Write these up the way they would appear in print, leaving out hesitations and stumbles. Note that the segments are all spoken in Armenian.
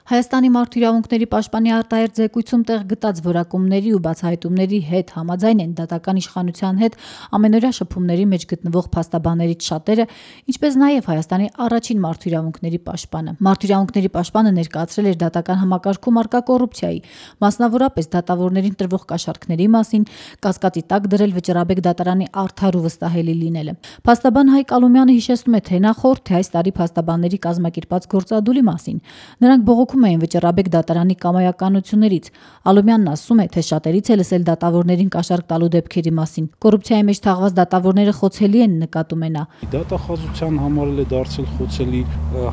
Հայաստանի մարդու իրավունքների պաշտպանի արտահերթ զեկույցում տեղ գտած որակումների ու բացահայտումների հետ համաձայն են դատական իշխանության հետ ամենօրյա շփումների մեջ գտնվող փաստաբաններից շատերը, ինչպես նաև Հայաստանի առաջին մարդու իրավունքների պաշտպանը։ Մարդու իրավունքների պաշտպանը ներկայացրել էր դատական համակարգում առկա կոռուպցիայի, մասնավորապես դատավորներին տրվող կաշառքների մասին, կասկածի տակ դրել Վճռաբեկ դատարանի արդար ու վստահելի լինելը։ Փաստաբան Հայկ Ալումյանը հիշեցնում է թե նախորդ, թե այս տարի փաստաբանների կազմակերպած գործադուլի մասին։ Նրանք բողոքում էին Վճռաբեկ դատարանի կամայականություններից։ Ալումյանն ասում է, թե շատերից է լսել դատավորներին կաշառք տալու դեպքերի մասին։ Կոռուպցիայի մեջ թաղված դատավորները խոցելի են, նկատում է նա։ Դատախազության համար էլ է դարձել խոցելի,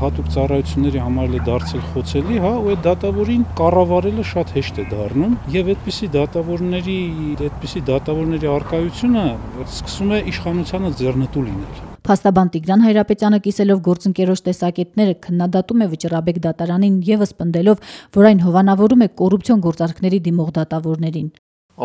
հատուկ ծառայությունների համար էլ է դարձել խոցելի, հա, ու այդ դատավորին կառավարելը շատ հեշտ է դառնում, եւ այդպիսի դատավորների առկայությունը սկսում է իշխանությանը ձեռնտու լինել։ Փաստաբան Տիգրան Հայրապետյանը կիսելով գործընկերոջ տեսակետները քննադատում է Վճռաբեկ դատարանին եւս պնդելով, որ այն հովանավորում է կոռուպցիոն գործարքների դիմող դատավորներին։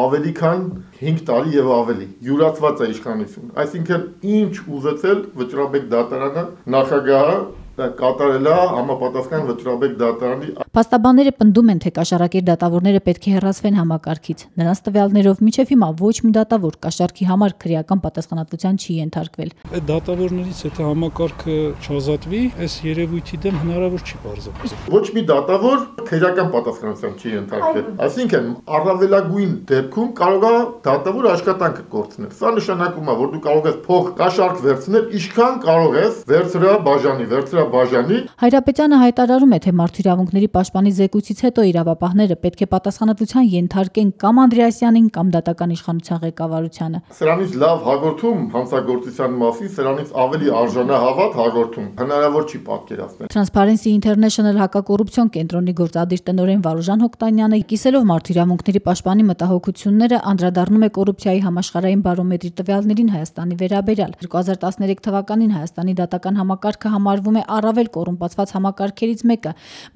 Ավելի քան 5 տարի եւ ավելի յուրացված է իշխանություն։ Այսինքն ինչ ուզեցել Վճռաբեկ դատարանը նախագահը կատարել է համապատասխան Վճռաբեկ դատարանի։ Փաստաբանները պնդում են, թե կաշառակեր դատավորները պետք է հեռացվեն համակարգից։ Նրանց տվյալներով մինչև հիմա ոչ մի դատավոր կաշառքի համար քրեական պատասխանատվության չի ենթարկվել։ Այդ դատավորներից եթե համակարգը չազատվի, այս երևույթի դեմ հնարավոր չի բարձր։ Ոչ մի դատավոր քրեական պատասխանատվության չի ենթարկվել։ Այսինքն առավելագույն դեպքում կարող է դատավոր աշխատանքը կորցնել։ Սա նշանակում է, որ դու կարող ես փող կաշառք վերցնել, ինչքան կարող ես վերցրաբաժանի։ Հայրապետյանը հայտարարում է, թե մարդու իրավունքների պաշտպանի զեկույցից հետո իրավապահները պետք է պատասխանատվության ենթարկեն կամ Անդրեասյանին կամ դատական իշխանության ղեկավարությանը։ Սրանից լավ հաղորդում հանցագործության մասին, սրանից ավելի արժանահավատ հաղորդում հնարավոր չի պատկերացնել։ Transparency International հակակոռուպցիոն կենտրոնի գործադիր տնօրեն Վարուժան Հոկտանյանը կիսելով մարդու իրավունքների պաշտպանի մտահոգությունները անդրադառնում է կոռուպցիայի համաշխարհային բարոմետրի տվյալներին Հայաստանի վերաբերյալ։ 2013 թվականին Հայաստանի դատական համակարգը համարվում է առավել կոռումպացված համակարգերից մեկը։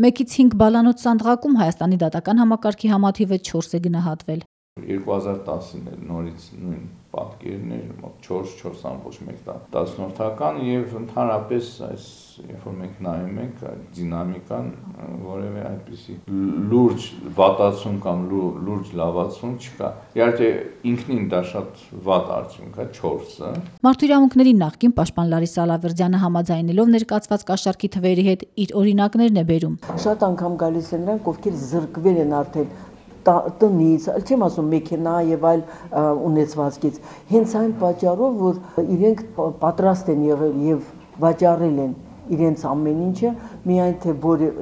1-ից 5 բալանոց սանդղակում Հայաստանի դատական համակարգի համաթիվը 4 է գնահատվել։ 2010-ին նորից նույն պատկերն էր, մոտ 4.1 եւ ընդհանրապես այս երբ որ մենք նայում ենք դինամիկան, որևէ այդպիսի լուրջ վատացում կամ լուրջ լավացում չկա։ Իհարկե ինքնին դա շատ վատ արդյունք է 4-ը։ Մարդու իրավունքների նախկին պաշտպան Լարիսա Ալավերդյանը համաձայնելով ներկայացված կաշառքի թվերի հետ իր օրինակներն է բերում։ Շատ անգամ գալիս են նրանք, ովքեր զրկվել են արդեն տնից, չեմ ասում մեքենա եւ այլ ունեցվածքից, հենց այն պատճառով, որ իրենք պատրաստ են եղել եւ վաճառել են իրենց ամեն ինչը, միայն թե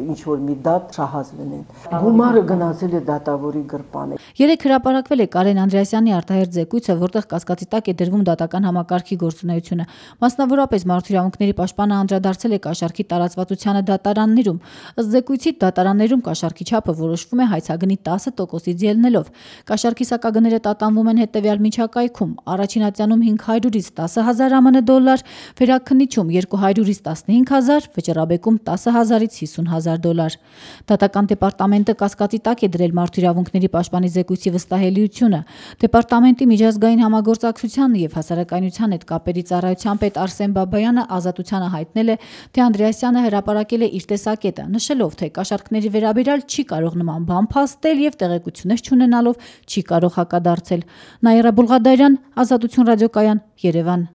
ինչ որ մի դատ շահած լինեն։ Գումարը գնացել է դատավորի գրպանը։ Երեք հրապարակվել է Կարեն Անդրեասյանի արտահերթ զեկույցը, որտեղ կասկածի տակ է դրվում դատական համակարգի գործունեությունը։ Մասնավորապես մարդու իրավունքների պաշտպանը անդրադարձել է կաշառքի տարածվածությանը դատարաններում։ Ըստ զեկույցի դատարաններում կաշառքի չափը որոշվում է հայցագնի 10%-ից ելնելով։ Կաշառքի սակագները տատանվում են հետևյալ միջակայքում. առաջին ատյանում 500-ից 10,000 ԱՄՆ դոլար, վերաքննիչում 200-ից 15,000, Վճռաբեկում 10,000-ից 50,000 դոլար։ Դատական դեպարտամենտը կասկածի տակ է դրել մարդու իրավունքների պաշտպանի զեկույցի վստահելիությունը։ Դեպարտամենտի միջազգային համագործակցության եւ հասարակայնության հետ կապերի ծառայության պետ Արսեն Բաբայանը ազատությանը հայտնել է, թե Անդրեասյանը հրապարակել է իր տեսակետը, նշելով, թե կաշառքների վերաբերյալ չի կարող նման բան փաստել եւ տեղեկություններ չունենալով չի կարող հակադարձել։ Նաիրա Բուլղադարյան, Ազատություն ռադիոկայան, Երևան։